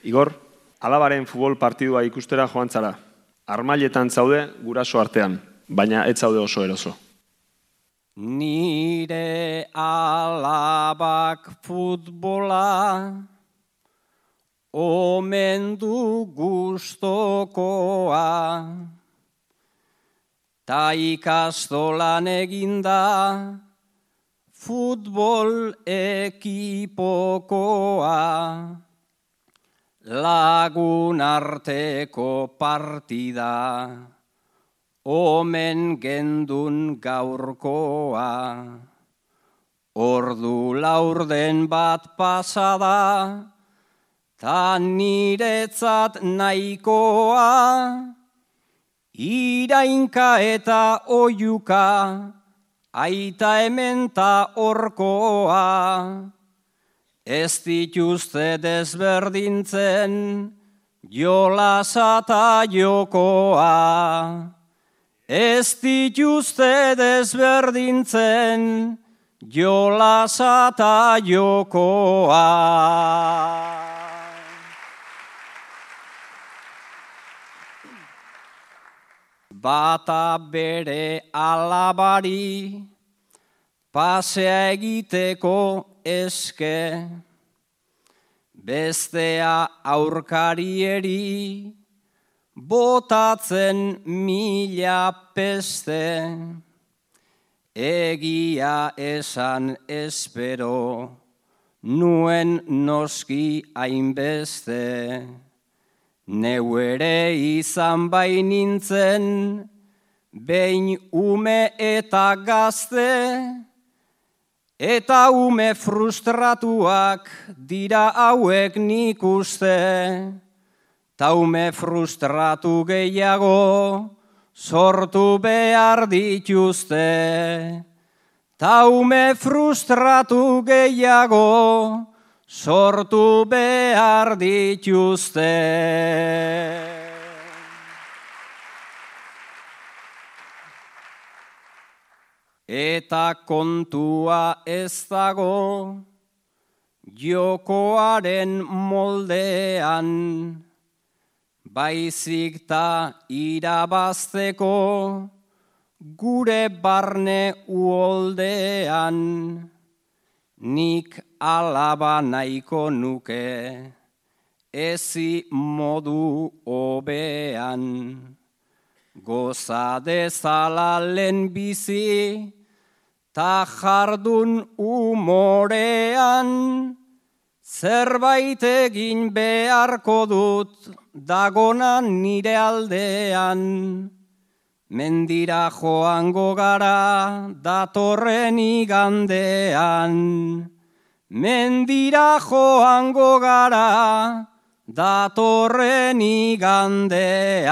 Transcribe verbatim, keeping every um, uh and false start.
Igor, alabaren futbol partidua ikustera joan zara. Armailetan zaude guraso artean, baina ez zaude oso eroso. Nire alabak futbola omen du gustokoa, ta ikastolan eginda futbol ekipokoa, lagun arteko partida omen gendun gaurkoa. Ordu laurden bat pasada, ta niretzat nahikoa, irainka eta oiuka, aita hemen ta orkoa. Ez dituzte desberdintzen jolasa ta jokoa. Ez dituzte desberdintzen jolasa ta jokoa. Bata bere alabari pasea egiteko eske, bestea aurkarieri botatzen mila peste. Egia esan espero nuen noski hainbeste. Neu ere izan bainintzen behin ume eta gazte, eta ume frustratuak dira hauek nik uste. Ta ume frustratu gehiago sortu behar dituzte. Ta ume frustratu gehiago sortu behar dituzte. Eta kontua ez dago jokoaren moldean, baizik ta irabazteko gure barne uholdean. Nik alaba nahiko nuke ezi modu hobean. Goza dezala lehen bizi ta jardun umorean, zerbait egin beharko dut dagonan nire aldean. Mendira joango gara datorren igandean. Mendira joango gara datorren igandean.